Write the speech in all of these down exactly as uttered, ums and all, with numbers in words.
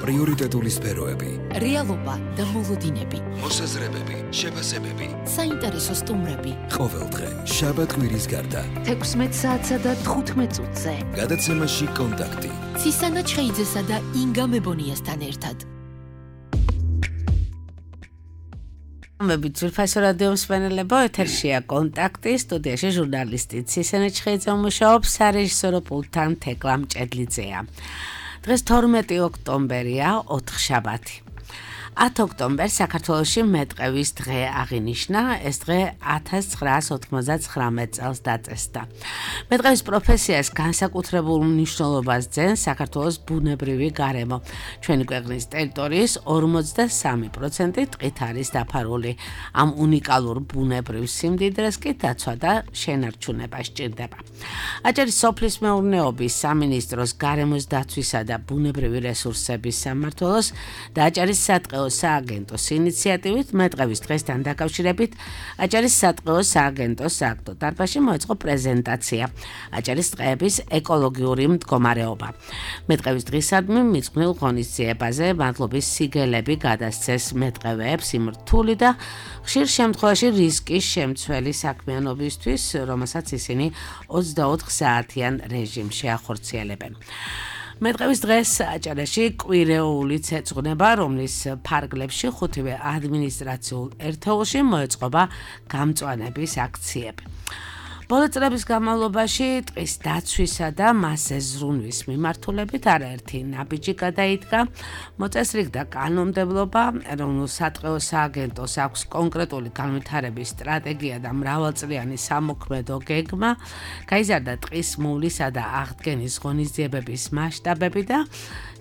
პრიორიტეტული სფეროები, რეალობა და მოლოდინები, მოსაზრებები, შეფასებები, საინტერესო სტუმრები. ყოველდღე შაბათ-კვირის გარდა თექვსმეტ საათსა და თხუთმეტ წუთზე. გადაცემაში კონტაქტი. ცისანა ჩხეიძესა და ინგა მებონიასთან ერთად. მები ძვირფასო რადიო მსმენელებო, ეთერშია კონტაქტი, სტუდიაში ჟურნალისტი ცისანა ჩხეიძე მუშაობს, სარეჟისორო პულტთან თეკლა მჭედლიძეა. დღეს თორმეტი ოქტომბერია, ოთხშაბათი. ათი ოქტომბერს საქართველოში მეტყევის დღე აღინიშნა, ეს დღე ათას ცხრაას ოთხმოცდათხრამეტ წელს დაწესდა. მეტყევის პროფესიას განსაკუთრებულ მნიშვნელობას ძენს საქართველოს ბუნებრივი გარემო. ჩვენი ქვეყნის ტერიტორიის ორმოცდასამი პროცენტი ტყით არის დაფარული. ამ უნიკალურ ბუნებრივ სიმდიდრეს კი დაცვა და შენარჩუნება სჭირდება. აჭარის სოფლის მეურნეობის სამინისტროს გარემოს დაცვისა და ბუნებრივი რესურსების სამმართველოს და აჭარის სატყეო სააგენტოს ინიციატივით მეტყევის დღესთან დაკავშირებით აჭარის სატყეო სააგენტოს სააქტო დარბაზში მოეწყო პრეზენტაცია აჭარის ტყეების ეკოლოგიური მდგომარეობა. მეტყევის დღისადმი მიძღვნილ ღონისძიებაზე მადლობის სიგელები გადასცეს მეტყევეებს იმ რთული და ხშირ შემთხვევაში რისკის შემცველი საქმიანობისთვის, რომელსაც ისინი ოცდაოთხ საათიან რეჟიმში ახორციელებენ. მეტყევის დღეს აჭარაში კვირეულიც ეძღვნება, რომლის ფარგლებში ხუთივე ადმინისტრაციულ ერთეულში მოეწყობა გამწვანების აქციები. ბოლო წლების განმავლობაში ტყის დაცვისა და მასზე ზრუნვის მიმართულებით არაერთი ნაბიჯი გადაიდგა. მოწესრიგდა კანონმდებლობა, ეროვნულ სატყეო სააგენტოს აქვს კონკრეტული განვითარების სტრატეგია და მრავალწლიანი სამოქმედო გეგმა, გაიზარდა ტყის მოვლისა და აღდგენის ღონისძიებების მასშტაბები და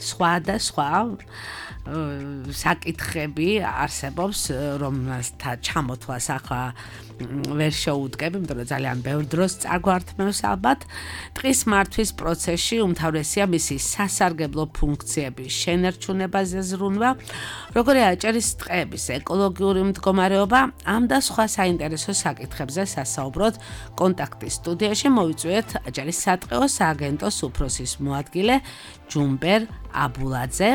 სხვა და სხვა საკითხები არსებობს, რომელთა ჩამოთვლას ახლა ვერ შეუდგებ, იმიტომ რომ ძალიან ბევრ დროს წაგვართმევს ალბათ. ტყის მართვის პროცესში უმთავრესია მისი სასარგებლო ფუნქციების შენარჩუნებაზე ზრუნვა, როგორი აჭარის ტყეების ეკოლოგიური მდგომარეობა, ამ და სხვა საინტერესო საკითხებზე სასაუბროდ კონტაქტის სტუდიაში მოვიწვიეთ აჭარის სატყეო სააგენტოს უფროსის მოადგილე ჯუმბერ აბულაძე,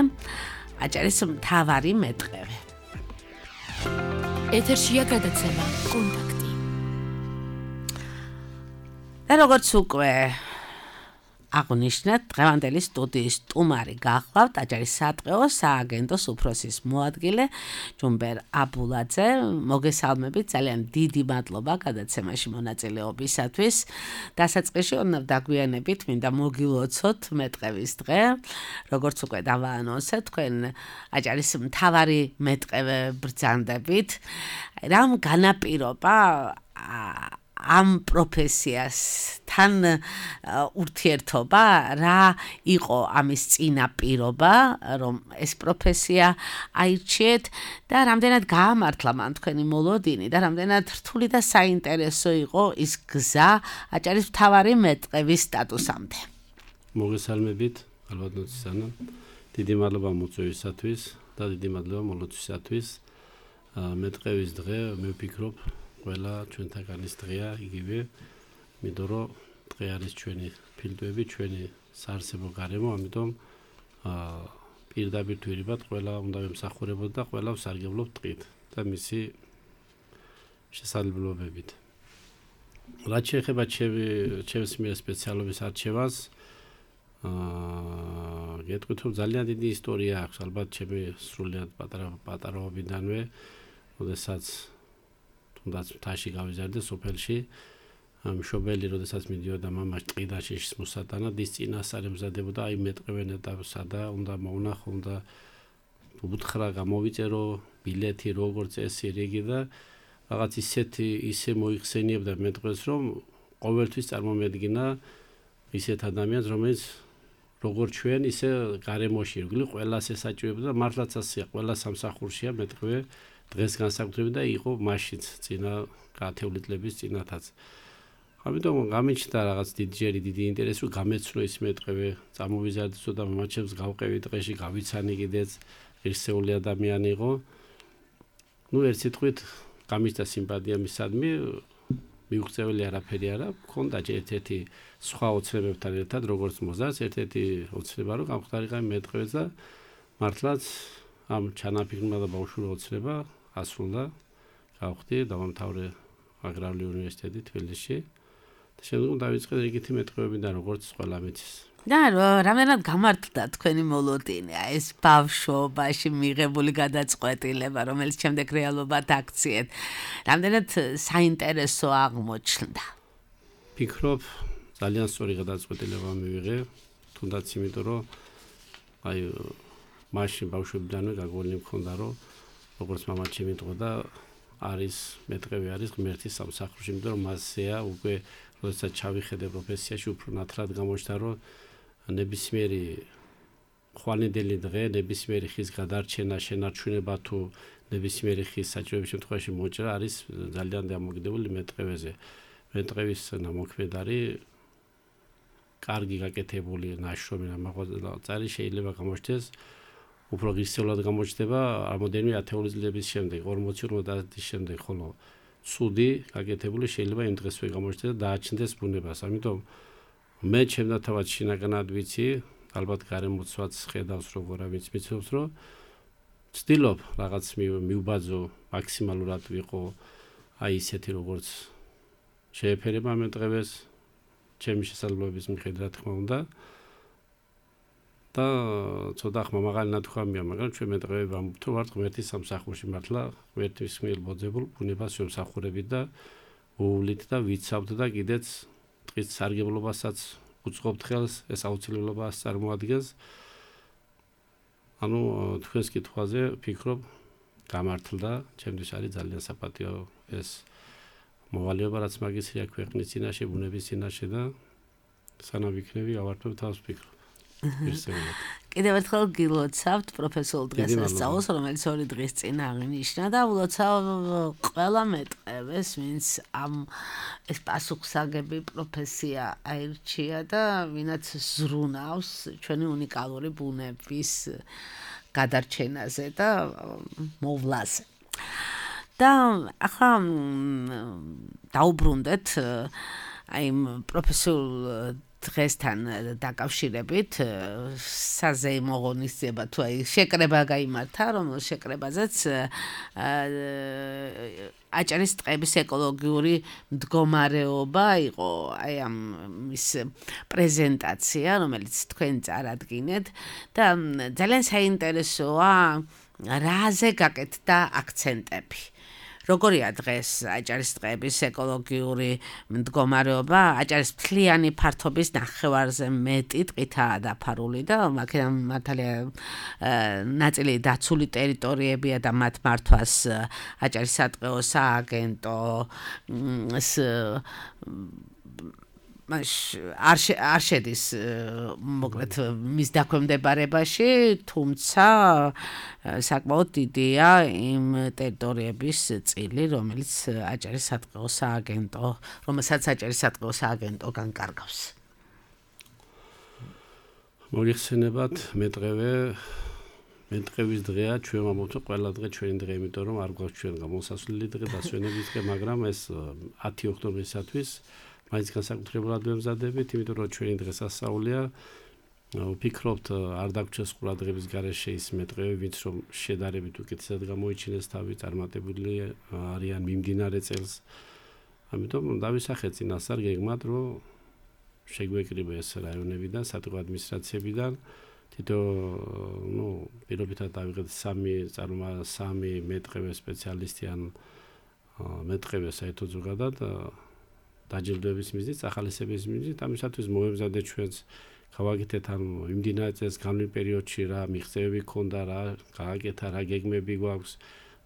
აჭარის მთავარი მეტყევე. ეთერშია გადაცემა კონტაქტი. და როგორც უკვე აღნიშნეთ, დღევანდელი სტუდიის სტუმარი გახლავთ აჭარის სატყეო სააგენტოს უფროსის მოადგილე ჯუმბერ აბულაძე. მოგესალმებით, ძალიან დიდი მადლობა გადაცემაში მონაწილეობისათვის. დასაწყისში უნდა დაგვიანებით, მინდა მოგილოცოთ მეტყევის დღე. როგორც უკვე დავაანონსეთ, თქვენ აჭარის მთავარი მეტყევე ბრძანდებით. რამ განაპირობა ამ პროფესიასთან ურთიერთობა, რა იყო ამის წინაპირობა, რომ ეს პროფესია აირჩიეთ და რამდენად გაამართლა მან თქვენი მოლოდინი და რამდენად რთული და საინტერესო იყო ის გზა აჭარის მთავარი მეტყევის სტატუსამდე. მოგესალმებით, ალბათ ცისანა. დიდი მადლობა მოწვევისათვის და დიდი მადლობა მოლოდინისათვის. მეტყევის დღე, მე ვფიქრობ, ყველა ჩვენთაგანის დღეა იგივე, იმიტომ რომ დღე არის ჩვენი ფილტვები, ჩვენი საარსებო გარემო, ამიტომ პირდაპირ თვირებად ყველა უნდა ვემსახურებოთ და ყველა ვსარგებლობთ ტყით და მისი შესაძლებლობებით. რაც შეეხება ჩემს მიერ სპეციალობის არჩევას, გეტყვით, რომ ძალიან დიდი ისტორია აქვს, ალბათ ჩემი სრულიად პატარა პატარაობიდანვე, როდესაც თუნდაც მთაში გავიზარდე სოფელში, მშობელი როდესაც მიდიოდა მამას ტყიდან შიშის მოსატანად, ის წინასწარ ემზადებოდა აი მეტყევენ ეტაპსა და უნდა მოვნახო, უნდა უთხრა, გამოვიწერო ბილეთი, როგორც წესი რიგი და რაღაც ისეთი ისე მოიხსენიებდა მეტყევს, რომ ყოველთვის წარმომედგინა ისეთ ადამიანს, რომელიც როგორც ჩვენ, ისე გარემოში ირგვლივ ყველას ესაჭირებდა და მართლაც ასეა, ყველა სამსახურშია მეტყევე დღეს განსაკუთრებით და იყო მაშინც წინა ათეული წლების წინათაც. ამიტომ გამიჩნდა რაღაც დიდჯერი დიდი ინტერესი, რომ გამეცნო ის მეტყევე, წამოვიზარდესო და მამაჩემს გავყევი ტყეში, გავიცანი კიდეც, ღირსეული ადამიანი იყო. ნუ ერთ სიტყვით გამიჩნდა სიმპათია მისადმი, მიუღწეველი არაფერი არა, მქონდა ერთ-ერთი სხვა ოცნებებთან ერთად, როგორც მოზარდს, ერთ-ერთი ოცნება რომ გამختارიყავი მეტყევეს და მართლაც ამ ჩანაფიქრმა და ბავშვური ოცნება ასრულდა, გავხდი დავამთავრე აგრარული უნივერსიტეტი თბილისში და შემდგომ დავიწყე რიგითი მეტყევებიდან როგორც ყველა მიცის. და რამდენად გამართლდა თქვენი მოლოდინი, ეს ბავშვობაში მიღებული გადაწყვეტილება, რომელიც შემდეგ რეალობად აქციეთ, რამდენად საინტერესო აღმოჩნდა. ფიქრობ, ძალიან სწორი გადაწყვეტილება მივიღე, თუნდაც იმიტომ, რომ აი მაშინ ბავშვებიდანვე გაგონილი მქონდა, რომ როგორც მამაც შემიტყოდა, არის მეტყევი არის ღმერთის სამსახურში, იმიტომ რომ მასზეა უკვე როდესაც ჩავიხედე პროფესიაში უფრო ნათლად გამოჩნდა, რომ ნებისმიერი ხვალინდელი დღე, ნებისმიერი ხის გადარჩენა, შენარჩუნება თუ ნებისმიერი ხის საჭიროების შემთხვევაში მოჭრა არის ძალიან დამოკიდებული მეტყევეზე. მეტყევის ნამოქმედ არის კარგი გაკეთებული ნაშრომი რამაყვალწარი შეიძლება გამოჩნდეს უფრო ღირსეულად გამოჩნდება რამოდენიმე ათეული წლების შემდეგ, ორმოცი ორმოცდაათი წლის შემდეგ, ხოლო ცუდი გაკეთებული შეიძლება იმ დღესვე გამოჩნდეს და დააჩნდეს ბუნებას. ამიტომ მე ჩემნათავად შინაგანად ვიცი, ალბათ გარემოცვაც ხედავს როგორ ამის მიცნობს, რომ ვცდილობ რაღაც მივბაძო მაქსიმალურად ვიყო აი ისეთი როგორც შეეფერება მეტყევეს ჩემი შესაძლებლობის მიხედვით, რა თქმა უნდა. და ცოტა ხმა მაღალი ნათქვამია, მაგრამ ჩვენ მეტყევები ვამბობთ, რომ ვართ ღმერთის სამსახურში, მართლა ღმერთის მიერ მოძებულ ბუნებას ვემსახურებით და ვუვლით და ვიცავთ და კიდეც დღის სარგებლობასაც უწყობთ ხელს, ეს აუცილებლობას წარმოადგენს. ანუ თქვენს კითხვაზე ვფიქრობ, გამართლდა, ჩემთვის არის ძალიან საპატიო ეს მოვალეობა, რაც მაგისრია ქვეყნის წინაშე, ბუნების წინაშე და სანამ ვიქნები, ავართებ თავს ვფიქრობ. კიდევ ერთხელ გილოცავთ პროფესიულ დღესასწაულს, რომელიც ორი დღის წინ აღინიშნა და ვლოცავ ყველა მეტყევეს, ვინც ამ ეს პასუხსაგები პროფესია აირჩია და ვინაც ზრუნავს ჩვენი უნიკალური ბუნების გადარჩენაზე და მოვლაზე. და ახლა დაუბრუნდეთ აი პროფესიულ დღესთან დაკავშირებით საზეიმო ღონისძიება თუ აი შეკრება გაიმართა, რომელშიც შეკრებაზეც აჭარის ტყეების ეკოლოგიური მდგომარეობა იყო აი ამ ის პრეზენტაცია, რომელიც თქვენ წარადგინეთ და ძალიან საინტერესოა რაზე გაკეთდა აქცენტები. როგორია დღეს აჭარის ტყეების ეკოლოგიური მდგომარეობა? აჭარის მთლიანი ფართობის ნახევარზე მეტი ტყითაა დაფარული და აქედან მართალია ნაწილი დაცული ტერიტორიებია და მათ მართვას აჭარის სატყეო სააგენტო მაშ არ შედის მოკლედ მის დაქვემდებარებაში, თუმცა საკმაოდ დიდია იმ ტერიტორიების წილი, რომელიც აჭარის სატყეო სააგენტო, რომელსაც აჭარის სატყეო სააგენტო განკარგავს. მოგიხსენებათ, მეტყევე მეტყევის დღეა, ჩვენ ვამბობთ, ყველა დღე ჩვენი დღე, იმიტომ რომ არ გვაქვს ჩვენ გამოსასვლელი დღე, დასვენების დღე, მაგრამ ეს ათი ოქტომბრისათვის მაინც განსაკუთრებულად ვემზადებით, იმიტომ რომ ჩვენი დღესასწაულია. ვფიქრობთ, არ დაგვრჩეს ყურადღების გარეშე ის მეტყევები, ვინც რომ შედარებით უკეთესად გამოიჩინეს თავი, წარმატებული არიან მიმდინარე წელს. ამიტომ დავისახეთ წინასწარ გეგმად, რომ შეგვეკრიბეს რაიონებიდან, სატყეო ადმინისტრაციებიდან, თითო ნუ პირობითად დავიღეთ სამი წარმომა სამი მეტყევე სპეციალისტი ან მეტყევე საერთოდ ზოგადად დაჯილდოების მიზნით, ახალისების მიზნით, ამისათვის მოვემზადეთ ჩვენს გავაკეთეთ ამ იმდინარე წელს განვლილ პერიოდში რა მიღწევები ქონდა, რა გააკეთა, რა გეგმები გვაქვს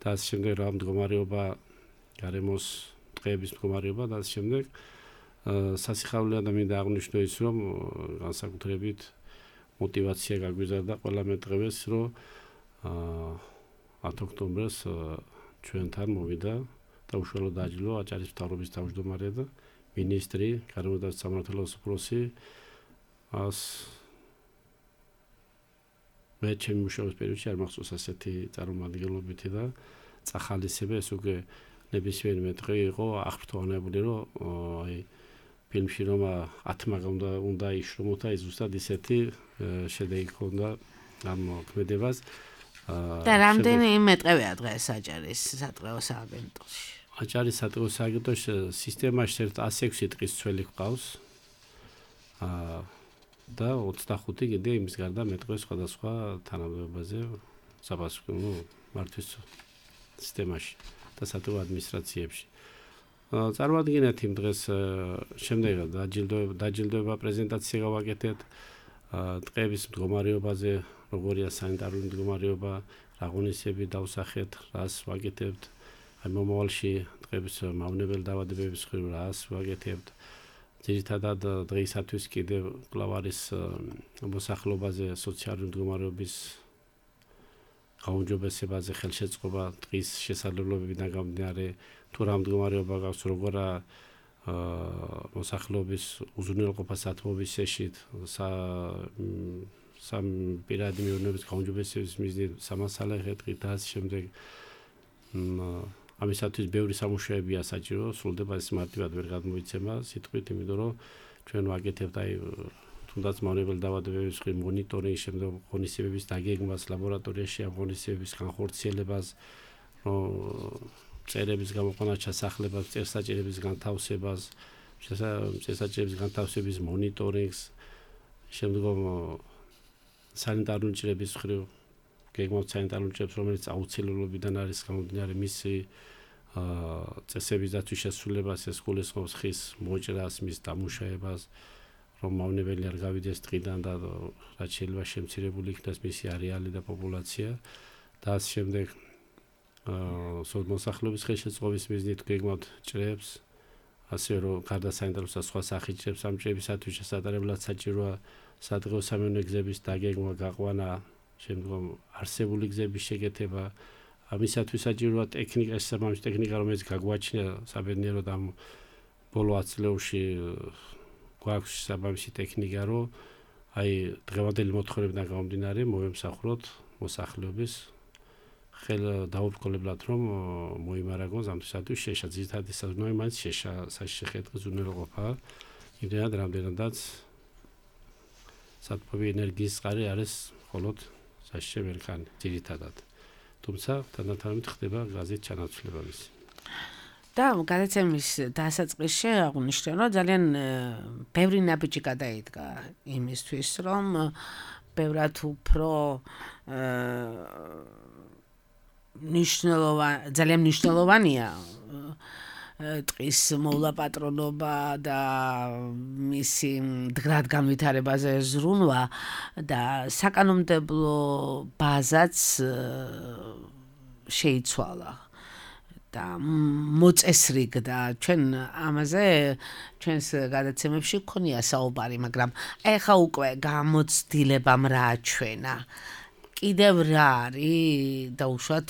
და ამ შემდეგ რა მდგომარეობა გარემოს ტყეების მდგომარეობა და ამ შემდეგ სასიხარულე ადამიანს აღნიშნო ის, რომ განსაკუთრებით мотивация გაგვიზარდა ყველა მეტყევეს, რომ ათი ოქტომბერს ჩვენთან მოვიდა და უშუალოდ დააჯილდო აჭარის მთავრობის თავმჯდომარე და მინისტრი, გარემოდაც სამმართველოს უფროსი. ას მე ჩემი მუშაობის პერიოდში არ მახსოვს ასეთი წარმომადგენლობითი და წახალისება, ეს უკვე ნებისმიერი მეტყევი იყო აღფრთოვანებული, რომ აი ფილმში რომ ათმა უნდა უნდა იშრომოთ, აი ზუსტად ისეთი შედეგი ჰქონდა ამ ქმედებას. და რამდენი მეტყევია დღეს აჭარის სატყეო სააგენტოში? აჭარის სატყეო სააგენტოში სისტემაში ერთ ასი ექვსი ტყის ცველი ჰყავს. აა და ოცდახუთი კიდე იმის გარდა მეტყვე სხვადასხვა თანამდებობაზე საფასურო ნუ მართვის სისტემაში და სატყეო ადმინისტრაციებში. წარმოადგენთ იმ დღეს შემდეგად დაჯილდოება დაჯილდოება პრეზენტაცია გავაკეთეთ ტყეების მდგომარეობაზე, როგორია სანიტარული მდგომარეობა, რა ღონისძიებები დავსახეთ, რას ვაკეთებთ, აი მომავალში ტყეების მავნებელ დაავადებების მხრივ რას ვაკეთებთ. ძირითადად დღეისათვის კიდევ კვლავ არის მოსახლეობაზე სოციალური მდგომარეობის გაუმჯობესებაზე ხელშეწყობა ტყის შესაძლებლობებიდან გამომდინარე თუ რა მდგომარეობა გაქვს როგორ მოსახლეობის უზრუნველყოფას ათმობის შეშით სამ პირადი მეურნეობის გაუმჯობესების მიზნით სამასალე ტყით და ასე შემდეგ ამისათვის ბევრი სამუშაოებია საჭირო, სრულდება ეს მარტივად ვერ გადმოიცემა სიტყვით, იმიტომ რომ ჩვენ ვაკეთებთ აი თუნდაც მავნებელ დაავადებების მხრივ მონიტორინგს, შემდეგ ღონისძიებების დაგეგმვას, ლაბორატორიაში ამ ღონისძიებების განხორციელებას, რომ წერების გამოყვანა ჩასახლებას, წესაჭერების განთავსებას, წესაჭერების განთავსების მონიტორინგს, შემდგომ სანიტარული ჭრების მხრივ გეგმავთ სანიტარული ჭრებს, რომელიც აუცილებლობიდან არის გამომდინარე მისი წესების დაცვის შესრულებას, ეს გულისხმობს ხის მოჭრას, მის დამუშავებას, რომ მავნებელი არ გავიდეს ტყიდან და რაც შეიძლება შემცირებული იქნას მისი არეალი და პოპულაცია და ამ შემდეგ მოსახლეობის ხელშეწყობის მიზნით გეგმავთ ჭრებს, ასე რომ გარდა სანიტარულისა სხვა სახის ჭრებს ამ ჭრებისათვის შესატარებლად საჭიროა სადღეო სამეურნეო გზების დაგეგმვა, გაყვანა, შემდგომ არსებული გზების შეკეთება, ამისათვის საჭიროა ტექნიკა, შესაბამისი ტექნიკა, რომელიც გაგვაჩნია საბედნიეროდ ამ ბოლო ათი წლებში გვაქვს შესაბამისი ტექნიკა, რომ აი დღევანდელი მოთხოვნებიდან გამომდინარე მოვემსახუროთ მოსახლეობის ხელ დაუბრკოლებლად რომ მოიმარაგოს ამისათვის შეშა ძირითადი საზრუნავი მაინც შეშა საშეხეთყის უზრუნველყოფა, იმდენად რამდენადაც სათბობი ენერგიის წყარი არის მხოლოდ საშიშე მერქანი ძირითადად. თუმცა თანდათანობით ხდება გაზის ჩანაცვლება მისი. და გადაცემის დასაწყისში აღნიშნე, რომ ძალიან ბევრი ნაბიჯი გადაიდგა იმისთვის, რომ ბევრად უფრო მნიშვნელოვანი, ძალიან მნიშვნელოვანია ტყის მოვლა-პატრონობა და მისი მდგრად განვითარებაზე ზრუნვა და საკანონმდებლო ბაზაც შეიცვალა და მოწესრიგდა. ჩვენ ამაზე ჩვენს გადაცემებში გქონია საუბარი, მაგრამ ეხა უკვე გამოცდილებამ რა აჩვენა. კიდევ რა არის დაუშვათ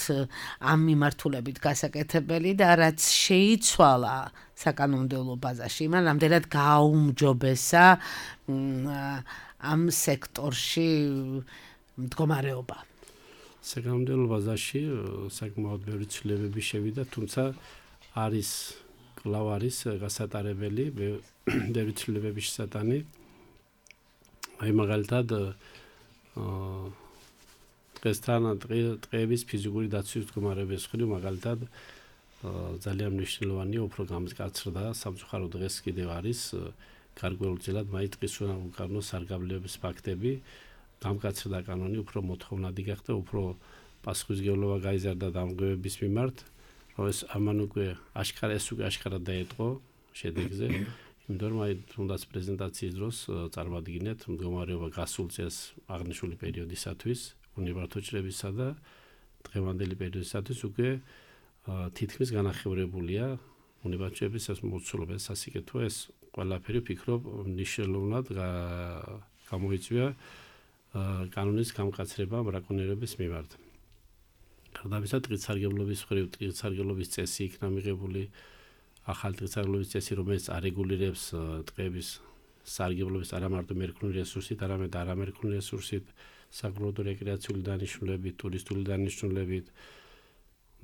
ამ მიმართულებით გასაკეთებელი და რაც შეიცვალა საკანონმდებლო ბაზაში, იმან რამდენად გააუმჯობესა ამ სექტორში მდგომარეობა. საკანონმდებლო ბაზაში საკმაოდ ბევრი ცვლილებები შევიდა, თუმცა არის კვლავ არის გასატარებელი ბევრი ცვლილებების შესატანი. აი მაგალითად დღესთან ტყეების ფიზიკური დაცვის მდგომარეობის მხრივ მაგალითად ძალიან მნიშვნელოვანია უფრო გამკაცრდა სამწუხარო დღეს კიდევ არის გარკვეულწილად მაინც ტყის უკანონო სარგებლობის ფაქტები, გამკაცრდა კანონი უფრო მოთხოვნადი გახდა, უფრო პასუხისმგებლობა გაიზარდა დამკვირვებლების მიმართ, რომ ეს ამან უკვე აშკარა ეს უკვე აშკარად დაეტყო შედეგზე, იმიტომ რომ აი თუნდაც პრეზენტაციის დროს წარმოადგინეთ მდგომარეობა გასულ წელს აღნიშნული პერიოდისათვის უნივარსიტეტ ჭრებისა და დღევანდელი პერიოდისათვის უკვე თითქმის განახევრებულია უნივარსიტეტების ეს მოცულობა, ეს სასიკეთო, ეს ყველაფერი ვფიქრობ მნიშვნელოვნად გამოიწვია კანონის გამკაცრება ბრაკონიერების მიმართ. გარდა ამისა, ტყის სარგებლობის მხრივ ტყის სარგებლობის წესი იქნა მიღებული, ახალი ტყის სარგებლობის წესი, რომელიც არეგულირებს ტყეების სარგებლობის არა მარტო მერქნული რესურსით, არამედ არამერქნული რესურსით, საკულტურო რეკრეაციული დანიშნულებით, ტურისტული დანიშნულებით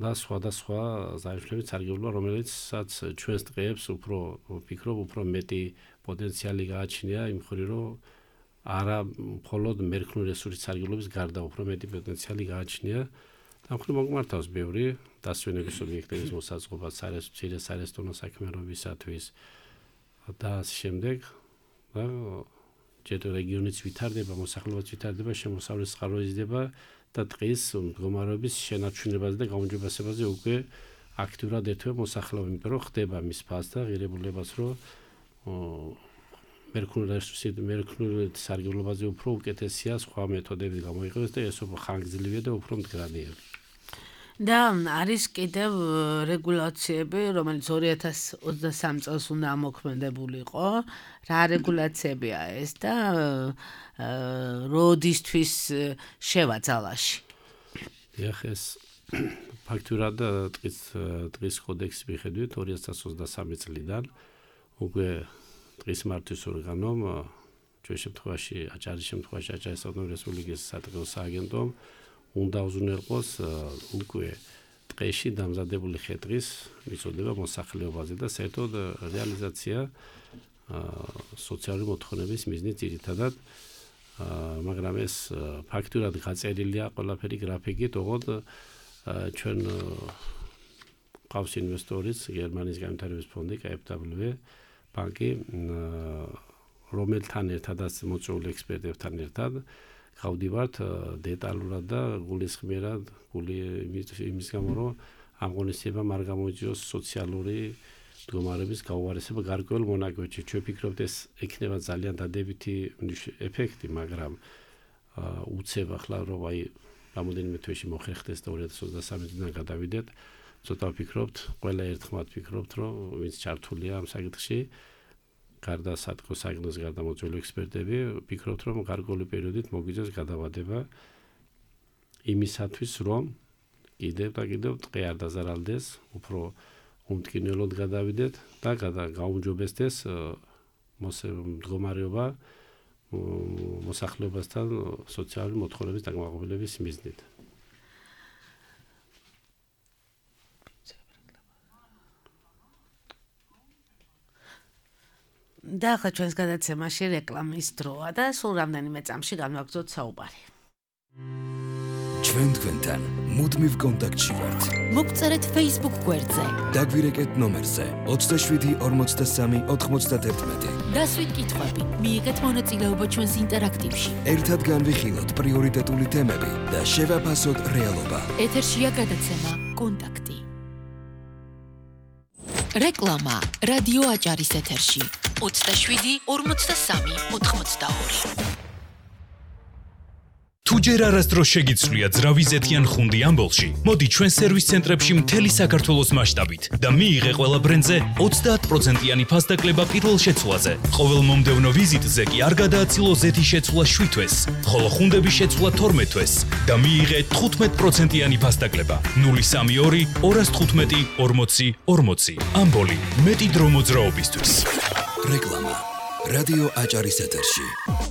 და სხვადასხვა ზარიფებით სარგებლობა, რომელიცაც ჩვენს ტყეებს უფრო ვფიქრობ, უფრო მეტი პოტენციალი გააჩნია იმ მხრივ, რომ არა მხოლოდ მერქნული რესურსის სარგებლობის გარდა უფრო მეტი პოტენციალი გააჩნია და მხოლოდ მოგმართავს ბევრი დასვენების ობიექტების მოსაწყობა სარესტო სარესტონო საქმიანობისათვის და ასე შემდეგ და ჯერ რეგიონიც ვითარდება, მოსახლეობაც ვითარდება, შემოსავლის წყარო იზრდება და დღის მდგომარეობის შენარჩუნებაზე და გაუმჯობესებაზე უკვე აქტიურად ერთვება მოსახლეობა, იმიტომ რომ ხდება მის ფასს და ღირებულებას, რომ მერქნული რესურსის მერქნული სარგებლობაზე უფრო უკეთესია სხვა მეთოდები გამოიყენოს და ეს უფრო ხანგრძლივია და უფრო მდგრადია. და არის კიდევ რეგულაციები, რომელიც ორი ათას ოცდასამი წელს უნდა ამოქმედებულიყო. რა რეგულაციებია ეს და როდისთვის შევა ძალაში? ეხ ეს ფაქტურად დღის დღის კოდექსის მიხედვით ორი ათას ოცდასამი წლიდან უკვე დღის მართვის ორგანომ ჩვენ შემთხვევაში აჭარის შემთხვევაში აჭარის ავტონომიური რესპუბლიკის სატრიალო სააგენტომ უნდა უზრუნველყოს უკვე ტყეში დამზადებული ხე-ტყის მიწოდება მოსახლეობაზე და საერთოდ რეალიზაცია სოციალური მოთხოვნების მიზნით ძირითადად მაგრამ ეს ფაქტურად გაწერილია ყველაფერი გრაფიკით, ოღონდ ჩვენ ყავს ინვესტორიც გერმანიის განვითარების ფონდი კეი ეფ დაბლიუ ბანკი რომელთან ერთადაც მოწვეული ექსპერტებთან ერთად გავდივართ დეტალურად და გულისხმიერად გული იმის გამო რომ ამ ღონისძიებამ არ გამოიწვიოს სოციალური მდგომარეობის გაუარესება გარკვეულ მონაკვეთში. ჩვენ ვფიქრობთ ეს ექნება ძალიან დადებითი ეფექტი, მაგრამ უცებ ახლა რომ აი რამოდენიმე თვეში მოხერხდეს და ორი ათას ოცდასამი წლიდან გადავიდეთ, ცოტა ვფიქრობთ, ყველა ერთხმად ვფიქრობთ, რომ ვინც ჩართულია ამ საკითხში, გარდა სათქო საგნოს გარდა მოწვეული ექსპერტები, ვფიქრობთ, რომ გარკვეული პერიოდით მოგვიძებს გადავადება იმისათვის, რომ კიდევ და კიდევ ტყე არ დაზარალდეს, უფრო უმტკინველოდ გადავიდეთ და გაუმჯობესდეს მდგომარეობა მოსახლეობასთან სოციალური მოთხოვნების დაკმაყოფილების მიზნით. და ახლა ჩვენს გადაცემაში რეკლამის დროა და სულ რამდენიმე წამში განვაგრძოთ საუბარი. ჩვენ თქვენთან მუდმივ კონტაქტში ვართ. მოგწერეთ Facebook გვერდზე. დაგვირეკეთ ნომერზე ოცდაშვიდი ორმოცდასამი ოთხმოცდაერთმეტი. დასვით კითხვები, მიიღეთ მონაწილეობა ჩვენს ინტერაქტივში. ერთად განვიხილოთ პრიორიტეტული თემები და შევაფასოთ რეალობა. ეთერშია გადაცემა კონტაქტი. რეკლამა რადიო აჭარის ეთერში. ოცდაშვიდი ორმოცდასამი ოთხმოცდაორი. თუ ჯერ არასდროს შეგიცვლია ძრავი ზეთიან ხუნდი ამბოლში, მოდი ჩვენ სერვის ცენტრებში მთელი საქართველოს მასშტაბით და მიიღე ყველა ბრენდზე ოცდაათ პროცენტიანი ფასდაკლება პირველ შეცვლაზე. ყოველ მომდევნო ვიზიტზე კი არ გადააცილო ზეთის შეცვლა შვიდ თვეს, ხოლო ხუნდების შეცვლა თორმეტ თვეს და მიიღე თხუთმეტ პროცენტიანი ფასდაკლება. ნული სამი ორი ორას თხუთმეტი ორმოცი ორმოცი. ამბოლი მეტი დრო მოძრაობისთვის. რეკლამა რადიო აჭარის ეთერში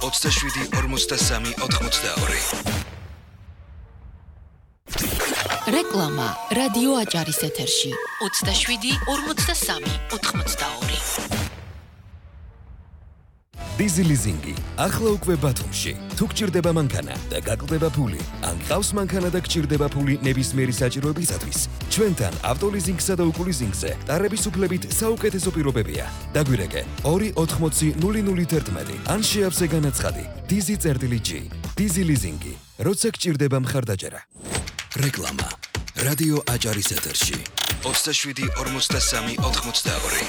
ოცდაშვიდი ორმოცდასამი ოთხმოცდაორი. რეკლამა რადიო აჭარის ეთერში ოცდაშვიდი ორმოცდასამი ოთხმოცდაორი. დიზი ლიზინგი ახლა უკვე ბათუმში. თუ გჭირდება მანქანა და გაკლდება ფული, ან გყავს მანქანა და გჭირდება ფული ნებისმიერი საჭიროებისათვის, ჩვენთან ავტოლიზინგსა და უკულიზინგზე ტარების უფლებით საუკეთესო პირობებია. დაგვირეკე ორი ოთხმოცი ნული ნული თერთმეტი ან შეავსე განაცხადი დიზი წერტილი ჯი. დიზი ლიზინგი, როცა გჭირდება მხარდაჭერა. რეკლამა რადიო აჭარის ეთერში ოცდაშვიდი ორმოცდასამი ოთხმოცდაორი.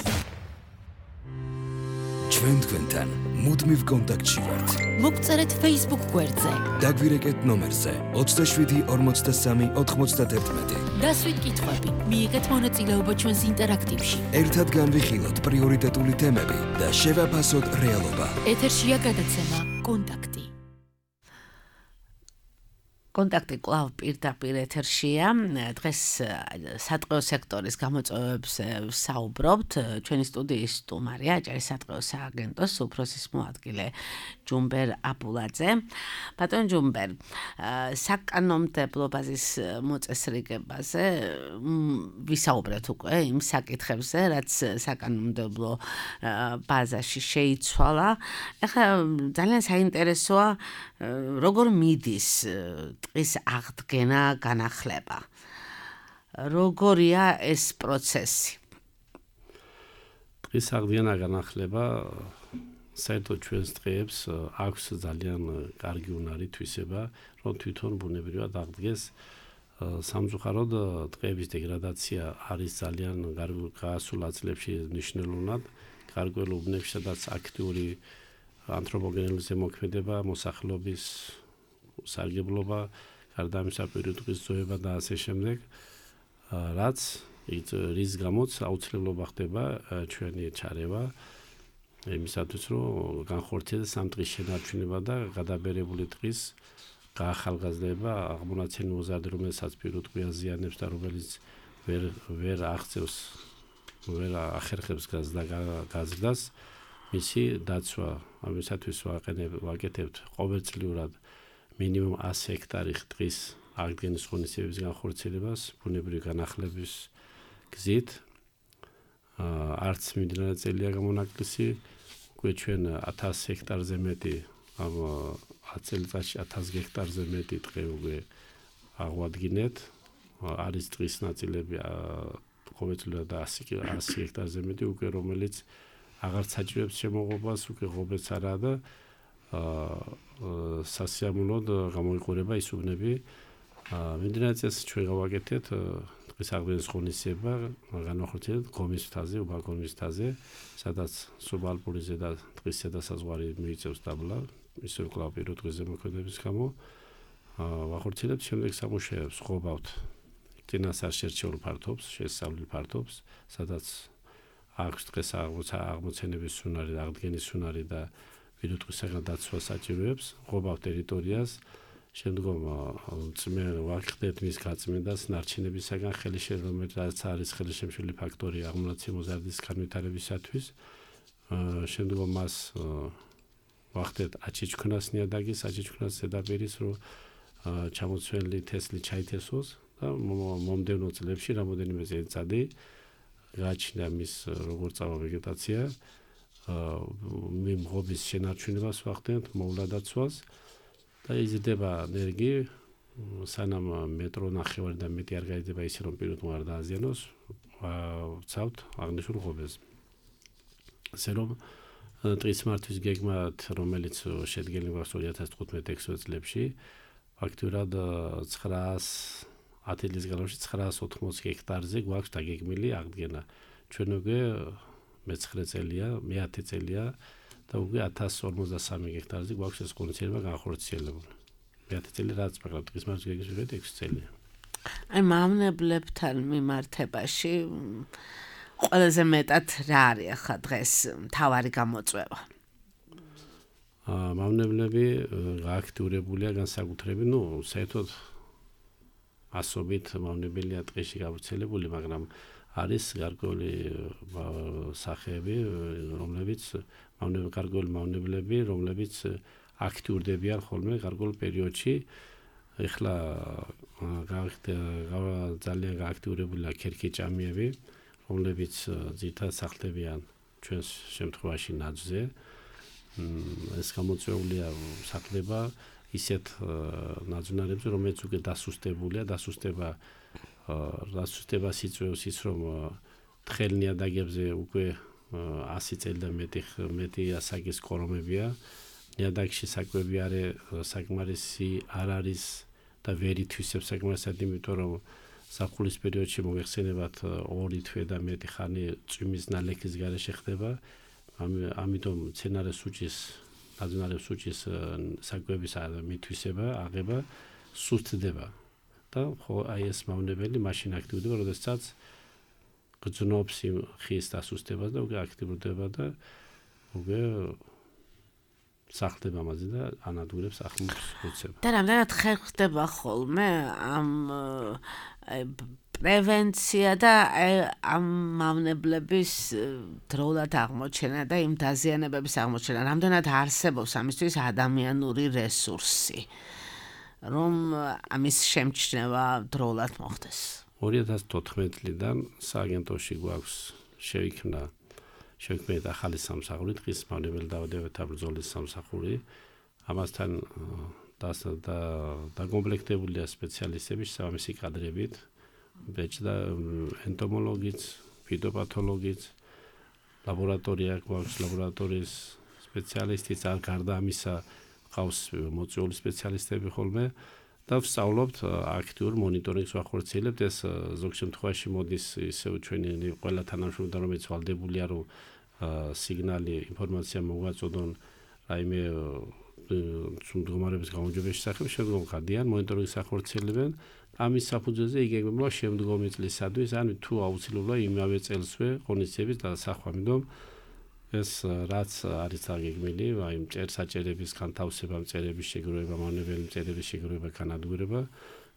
ჩვენ თქვენთან მუდმივ კონტაქტში ვართ. მოგწერეთ Facebook გვერდზე. დაგვირეკეთ ნომერზე ოცდაშვიდი ორმოცდასამი ოთხმოცდაერთმეტი. დასვით კითხვები, მიიღეთ მონაწილეობა ჩვენს ინტერაქტივში. ერთად განვიხილოთ პრიორიტეტული თემები და შევაფასოთ რეალობა. ეთერშია გადაცემა კონტაქტი. კონტაქტი კვლავ პირდაპირ ეთერშია. დღეს სატყეო სექტორის გამოწვევებს საუბრობთ. ჩვენი სტუდიის სტუმარია აჭარის სატყეო სააგენტოს უფროსის მოადგილე ჯუმბერ აბულაძე. ბატონ ჯუმბერ, საკანონმდებლო ბაზის მოწესრიგებაზე ვისაუბრეთ უკვე იმ საკითხებზე, რაც საკანონმდებლო ბაზაში შეიცვალა. ეხლა ძალიან საინტერესოა როგორ მიდის ტყის აღდგენა, განახლება. როგორია ეს პროცესი? ტყის აღდგენა, განახლება საერთოდ ჩვენს ტყეებს აქვს ძალიან კარგი უნარი თვისება, რომ თვითონ ბუნებრივად აღდგეს. სამწუხაროდ ტყეების დეგრადაცია არის ძალიან გასულ აწლებში მნიშვნელოვნად. გარკვეულ უბნებში, სადაც აქტიური ანთროპოგენური ზემოქმედება, მოსახლეობის სარგებლობა, გარდა ამისა პირუტყვის ზოება და ასე შემდეგ, რაც რის გამოც აუცილებლობა ხდება ჩვენი ჩარევა იმისათვის, რომ განხორციელდეს ამ ტყის შენარჩუნება და გადაბერებული ტყის გაახალგაზრდება, აღმონაცენი მოზარდი, რომელსაც პირუტყვი აზიანებს და რომელიც ვერ ვერ აღწევს, ვერ ახერხებს გაზრდას, მისი დაცვა, ამისათვის ვაკეთებთ ყოველწლიურად მინიმუმ ასი ჰექტარი ტყის აღდგენის ღონისძიების განხორციელებას ბუნებრივი განახლების გზით. არც მიმდინარე წელია გამონაკლისი, უკვე ჩვენ ათას ჰექტარზე მეტი, ამ წელიწადში ათას ჰექტარზე მეტი ტყე უკვე აღვადგინეთ. არის ტყის ნაწილები ყოველწლიურად ასი ჰექტარზე მეტი უკვე, რომელიც აღარ საჭიროებს შემოღობას, უკვე ღობეც არაა და სასიამოვნოდ გამოიყურება ის უბნები. მიმდინარე წელს ჩვენ გავაკეთეთ ტყის აღდგენის ღონისძიება, განახორციელებთ გომის მთაზე, უბაგონის მთაზე, სადაც სუბალპური ზედა ტყის ზედასაზღვარი მიიწევს დაბლა, ისევ კვლავ პირუტყვის ზემოქმედების გამო. ვახორციელებთ შემდეგ სამუშაოებს, ღვობავთ წინასწარ შერჩეულ ფართობს, შესწავლილ ფართობს, სადაც აქვს დღეს აღმოცენების უნარი, აღდგენის უნარი და პირუტყვისაგან დაცვა საჭიროებს, ღვობავ ტერიტორიას, შემდგომ წმენ ვახდეთ მის გაწმენდას ნარჩენებისაგან ხელშემშლელობაც არის ხელშემშლელი ფაქტორი აღმონაცენი მოზარდის განვითარებისათვის. შემდგომ მას ვახდეთ აჩიჩქნას ნიადაგის, აჩიჩქნას ზედაპირის, რომ ჩამოცვენილი თესლი ჩაითესოს და მომდევნო წლებში რამოდენიმე წელიწადი გააჩნია მის როგორ წავა ვეგეტაცია. მიმღობის შენარჩუნებას ვახდენთ, მოვლადაცვას და იზრდება ნერგი, სანამ მეტრო ნახევარი და მეტი არ გაიზრდება ისე რომ პირუტყვი არ დააზიანოს, ვცავთ აღნიშნულ ღობეს. ასე რომ ტყის მართვის გეგმად, რომელიც შედგენილი გვაქვს ორი ათას თხუთმეტ ექვსმეტ წლებში, ფაქტურად ცხრაას ათი წლის განმავლობაში ცხრაას ოთხმოცი ჰექტარზე გვაქვს დაგეგმილი აღდგენა. ჩვენ უკვე მეცხრე წელია, მეათე წელია და უკვე ათას ორმოცდასამი ჰექტარზე გვაქვს ეს ღონისძიება განხორციელებული. მეათე წელი რაც მაგრამ ტყის მართვის გეგმის მიხედვით ექვსი წელია. აი მავნებლებთან მიმართებაში ყველაზე მეტად რა არის ახლა დღეს მთავარი გამოწვევა? მავნებლები გააქტიურებულია განსაკუთრებით, ნუ საერთოდ ასობით მავნებელია ტყეში გავრცელებული, მაგრამ არის გარკვეული სახეები, რომლებიც გარკვეული მავნებლები, რომლებიც აქტიურდებიან ხოლმე გარკვეულ პერიოდში. ეხლა ძალიან გააქტიურებულია ქერქიჭამიები, რომლებიც ძირითადად სახლდებიან ჩვენს შემთხვევაში ნაძვზე. ეს გამოწვეულია სახლდება ისეთ ნაძვნარებზე, რომელიც უკვე დასუსტებულია, დასუსტება დასუსტებას იწვევს ის, რომ თხელ ნიადაგებზე უკვე ასი წელი და მეტი მეტი ასაკის კორომებია. ნიადაგში საკვები არის საკმარისი არ არის და ვერ ითვისებს საკმარისად, იმიტომ რომ ზაფხულის პერიოდში მოიხსენებათ ორი თვე და მეტი ხანი წვიმის ნალექის გარეშე ხდება. ამიტომ მცენარე სუჭის, ნაძვნარი სუჭის საკვების მითვისება, აღება სუსტდება. და ხო აი ეს მავნებელი მაშინ აქტიურდება, როდესაც გრძნობს ხის დასუსტებას და უკვე აქტიურდება და უკვე სახლდება ამაზე და ანადგურებს ახლმოს უცებ. და რამდენად ხერხდება ხოლმე ამ პრევენცია და ამ მავნებლების დროულად აღმოჩენა და იმ დაზიანებების აღმოჩენა, რამდენად არსებობს ამისთვის ადამიანური რესურსი, რომ ამის შემჩნევა დროულად მოხდეს. ორი ათას თოთხმეტი წლიდან სააგენტოში გვაქვს შეიქმნა შეიქმნა ახალი სამსახური, დღის მავნებელი დაავადებათა ბრძოლის სამსახური. ამასთან დაკომპლექტებულია სპეციალისტები შესაბამისი კადრებით, ბეჭდა ენტომოლოგიც, ფიტოპათოლოგიც, ლაბორატორია გვაქვს, ლაბორატორიის სპეციალისტიც, არ გარდა ამისა ყავს მოწვეული სპეციალისტები ხოლმე და ვსწავლობთ აქტიურ მონიტორინგს ვახორციელებთ. ეს ზოგ შემთხვევაში მოდის ისევ ჩვენი ყველა თანამშრომლთან, რომელიც ვალდებულია, რომ სიგნალი, ინფორმაცია მოგვაწოდონ რაიმე მდგომარეობის გაუმჯობესების შესახებ, შემდგომ ხადიან მონიტორინგს ახორციელებენ. ამის საფუძველზე იგეგმება შემდგომი წლისადმი, ან თუ აუცილებლად იმავე წელსვე ღონისძიების დასახვა. ამიტომ ეს რაც არის აგეგმილი, აი მწერსაჭერების განთავსება, მწერების შეგროვება, მავნებელი მწერების შეგროვება, განადგურება,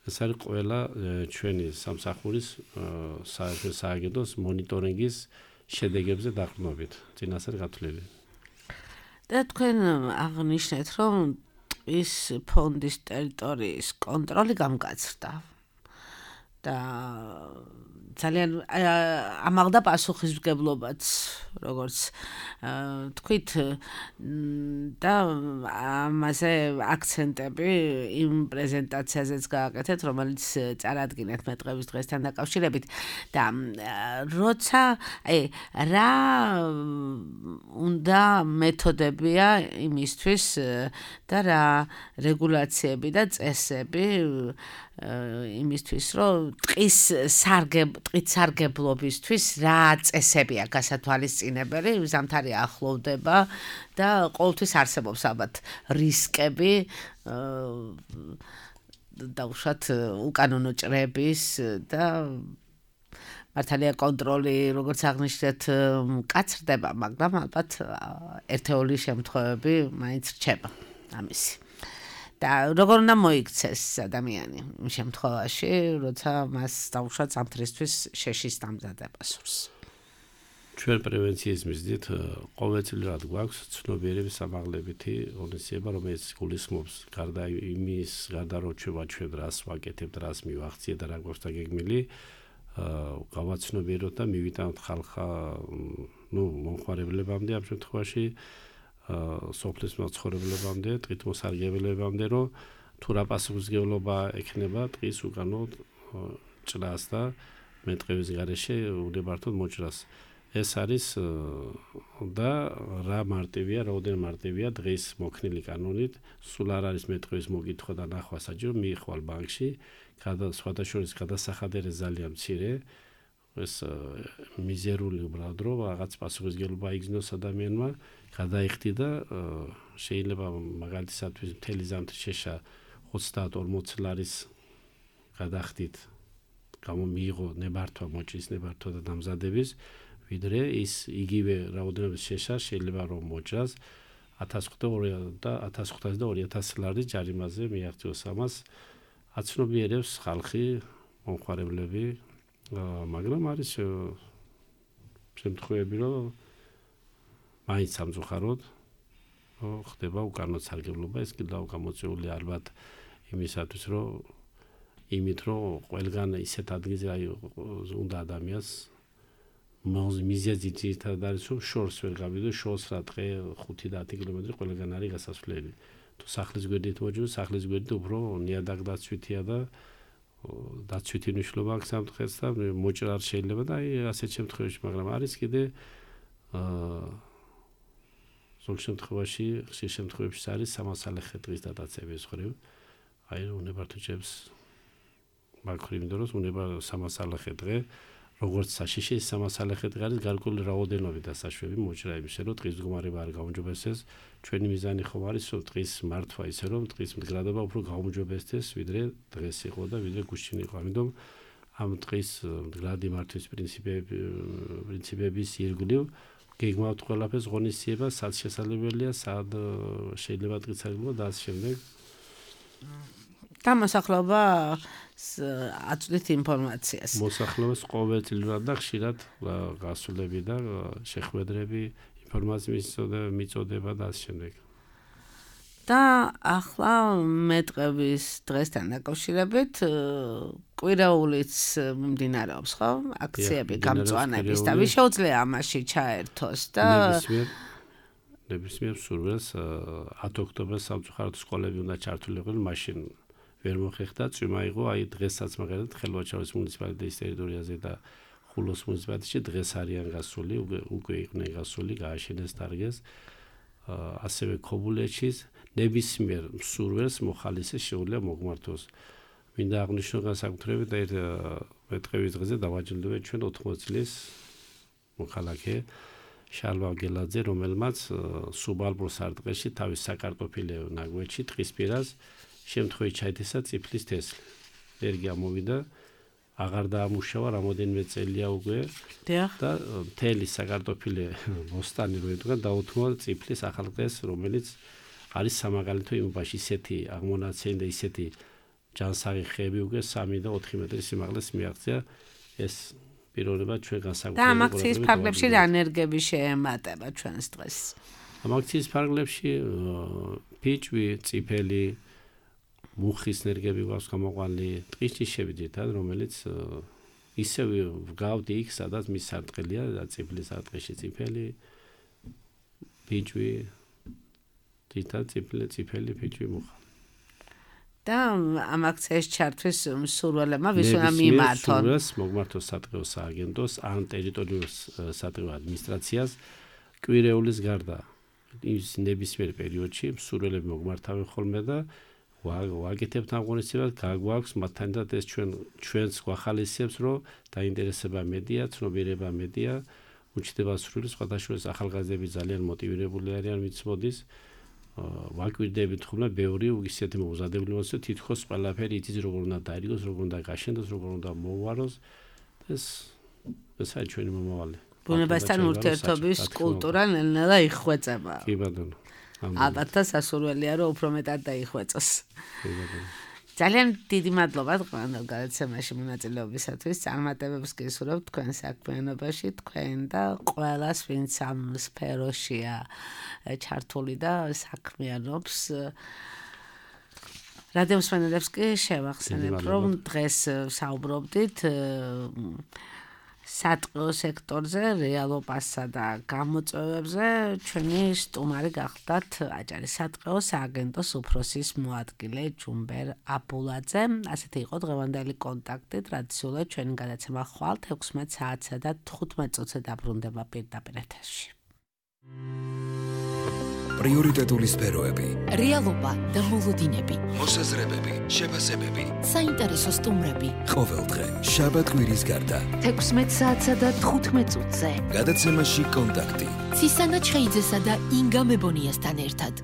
ეს არის ყველა ჩვენი სამსახურის სააგენტოს მონიტორინგის შედეგებზე დაყრდნობით, წინასწარ გათვლილი. და თქვენ აღნიშნეთ, რომ ტყის ფონდის ტერიტორიის კონტროლი გამკაცრდა და ძალიან ამაღლდა პასუხისმგებლობაც, როგორც თქვით, და ამაზე აქცენტები იმ პრეზენტაციაზეც გააკეთეთ, რომელიც წარადგინეთ მეტყველების დღესთან დაკავშირებით და როცა აი რა უნდა მეთოდებია იმისთვის და რა რეგულაციები და წესები იმისთვის, რომ ტყის სარგებ ტყით სარგებლობისთვის რა წესებია გასათვალისწინებელი, ზამთარი ახლოვდება და ყოველთვის არსებობს ალბათ რისკები და უშუალოდ უკანონო ჭრების და მართალია კონტროლი, როგორც აღნიშნეთ, მკაცრდება, მაგრამ ალბათ ერთეული შემთხვევები მაინც რჩება ამისი. და როგორ უნდა მოიქცეს ადამიანი იმ შემთხვევაში, როცა მას დაუშვათ ზამთრისთვის შეშის დამზადება სურს. ჩვენ პრევენციის მიზნით ყოველწლიურად გვაქვს ცნობიერების ამაღლებითი ღონისძიება, რომელიც გულისხმობს გარდა იმის, გარდა რომ ჩვენ ვაჩვენებთ, რას ვაკეთებთ, რას მივახციეთ და რა გვაქვს დაგეგმილი, გავაცნობიეროთ და მივიტანოთ ხალხა, ნუ მომხმარებლებამდე ამ შემთხვევაში სოფლის მაცხოვრებლებამდე, ტყით მოსარგებლებამდე, რომ თუ რა პასუხისმგებლობა ექნება ტყის უკანო ჭრას და მეტყევის გარეშე უნებართოდ მოჭრას. ეს არის და რა მარტივია, რაოდენ მარტივია დღის მოქნილი კანონით, სულ არ არის მეტყევის მოკითხვა და ნახვა საჭირო, მიიხვალ ბანკში, სხვადასხვა გადასახადերը ძალიან მცირე, ეს მიზერული უბრალოდ რომ რაღაც პასუხისმგებლობა იგრძნოს ადამიანმა, გადაიხდი და შეიძლება მაგალითისათვის მთელი ზამთრის შეშა ოცდაათ ორმოც ლარის გადახდით გამომიიღო ნებართვა, მოჭრის ნებართვა და დამზადების, ვიდრე ის იგივე რაოდენობის შეშა შეიძლება რომ მოჭრას ათას ოცდაორი და ორი ათასი ლარის ჯარიმაზე მიაღწიოს. ამას აცნობიერებს ხალხი, მომხმარებლები, მაგრამ არის შემთხვევები, რომ მაინც სამწუხაროდ ხდება უკანონო სარგებლობა, ეს კიდევ გამოწვეული ალბათ იმისათვის, რომ იმით, რომ ყველგან ისეთ ადგილზე აი უნდა ადამიანს მიზეზი ძირითადად არის, რომ შორს ვერ გავიდო, შორს რა დღე ხუთი და ათი კილომეტრი ყველგან არის გასასვლელი. თუ სახლის გვერდით მოჯო, სახლის გვერდით უფრო ნიადაგ დაცვითია და დაცვითი მნიშვნელობა აქვს ამ დღეს და მოჭრა არ შეიძლება და აი ასეთ შემთხვევაში, მაგრამ არის კიდე ზოგ შემთხვევაში, ხშირ შემთხვევებში არის სამასალეხე დღის დადაცების ხრივ. აი უნებართო ჭებს მაგხრივ იმიტომ რომ უნება სამასალეხე დღე, როგორც საშიში სამასალეხე დღე არის გარკვეული რაოდენობით დასაშვები მოჭრა იმისა, რომ დღის მდგომარეობა არ გაუმჯობესდეს. ჩვენი მიზანი ხომ არის, რომ დღის მართვა ისე, რომ დღის მდგრადობა უფრო გაუმჯობესდეს, ვიდრე დღეს იყო და ვიდრე გუშინ იყო. ამიტომ ამ დღის მდგრადი მართვის პრინციპები პრინციპების ირგვლივ გეგმავთ ყველაფერს ღონისძიება, სად შესაძლებელია, სად შეიძლება დღისაგებო და ამ შემდეგ. გამოსახლობა აწვდით ინფორმაციას. მოსახლეობას ყოველწლიურად და ხშირად გასულები და შეხვედრები, ინფორმაციის მიწოდება და ამ შემდეგ. და ახლა მეტყების დღესთან დაკავშირებით კვირაულიც მიმდინარეობს, ხო? აქციები, გამწვანების და ვის შეუძლია ამაში ჩაერთოს და ნებისმიერ სურვილს ათი ოქტომბერს სამწუხაროდ სკოლები უნდა ჩართულიყვნენ, მაშინ ვერ მოხერხდა, წვიმა იყო, აი დღესაც მაგალითად ხელვაჩავის მუნიციპალიტეტის ტერიტორიაზე და ხულოს მუნიციპალიტეტში დღეს არიან გასული, უკვე იყვნენ გასული, გააშენეს დარგეს. ასევე ქობულეთშიც ნებისმიერ სურვილს მოხალისე შეუძლია მოგმართოს. მინდა აღნიშნო განსაკუთრებით და ერთ მეტყების დღეზე დავაჯილდოვეთ ჩვენ ოთხმოცი წლის მოქალაქე შალვა გელაძე, რომელმაც სუბალპურ სარტყელში თავის საკარტოფილე ნაგვეთში ტყისპირას შემთხვევით ჩაითესა წიფლის თესლი. ენერგია მოვიდა, აღარ დაამუშავა რამოდენიმე წელია უკვე და მთელი საკარტოფილე მოსტანი რო იდგა დაუთმო წიფლის ახალყეს, რომელიც არის სამაგალითო იმობაში ისეთი აღმონაცენი და ისეთი ჯანსაღი ხეები უკვე სამი და ოთხი მეტრის სიმაღლეს მიაღწია. ეს პიროვნება ჩვენ განსაკუთრებით და ამ აქციის ფარგლებში რა ენერგიები შეემატება ჩვენს დღეს? ამ აქციის ფარგლებში ფიჭვი, წიფელი, მუხის ენერგიები გვაქვს გამოყვანილი, ტყის ჯიშები ძირითადად, რომელიც ისევ ვგავდი იქ, სადაც მის სარტყელია და წიფლის სარტყელში წიფელი, ფიჭვი, ძირითადად წიფელი, წიფელი, ფიჭვი, მუხა. და ამ აქციაში ჩართვის მსურველებმა ვის უნდა მიმართონ? სურვილს მოგმართოს სატყეო სააგენტოს ან ტერიტორიულ სატყეო ადმინისტრაციას კვირეულის გარდა ის ნებისმიერ პერიოდში მსურველები მოგმართავენ ხოლმე და ვაკეთებთ აღონისებას, გაგვაქვს მათთან და ეს ჩვენ ჩვენს გვახალისებს, რომ დაინტერესება მედია, ცნობიერება მედია, უჩნდება სრული სხვადასხვა ახალგაზრდები ძალიან მოტივირებული არიან, ვინც მოდის. ვაკვირდებით ხოლმე ბევრი ისეთი მოუზადებელი მოსწო თითქოს ყველაფერი იცის როგორ უნდა დაირიგოს, როგორ უნდა გაშენდეს, როგორ უნდა მოუვაროს. ეს ესაა ჩვენი მომავალი. ბუნებასთან ურთიერთობის კულტურა ნელ-ნელა იხვეწება. კი ბატონო. ალბათ სასურველია რომ უფრო მეტად დაიხვეწოს. ძალიან დიდი მადლობა დღევანდელ გადაცემაში მონაწილეობისათვის. წარმატებებს გისურვებთ თქვენ საქმიანობაში, თქვენ და ყველას, ვინც ამ სფეროშია ჩართული და საქმიანობს. რადიო მსმენელებს კი შევახსენებ, რომ დღეს საუბრობდით სატყეო სექტორზე, რეალობასა და გამოწვევებზე. ჩვენი სტუმარი გახლდათ აჭარის სატყეო სააგენტოს უფროსის მოადგილე ჯუმბერ აბულაძე. ასეთი იყო დღევანდელი კონტაქტი. ტრადიციულად ჩვენი გადაცემა ხვალ ექვსმეტ საათსა და თხუთმეტ წუთზე დაბრუნდება პირდაპირ ეთერში. პრიორიტეტული სფეროები, რეალობა და მოლოდინები, მოსაზრებები, შეფასებები, საინტერესო სტუმრები. ყოველდღე შაბათ-კვირის გარდა ექვსმეტ საათსა და თხუთმეტ წუთზე. გადაცემაში კონტაქტი. ცისანა ჩხეიძესა და ინგა მებონიასთან ერთად.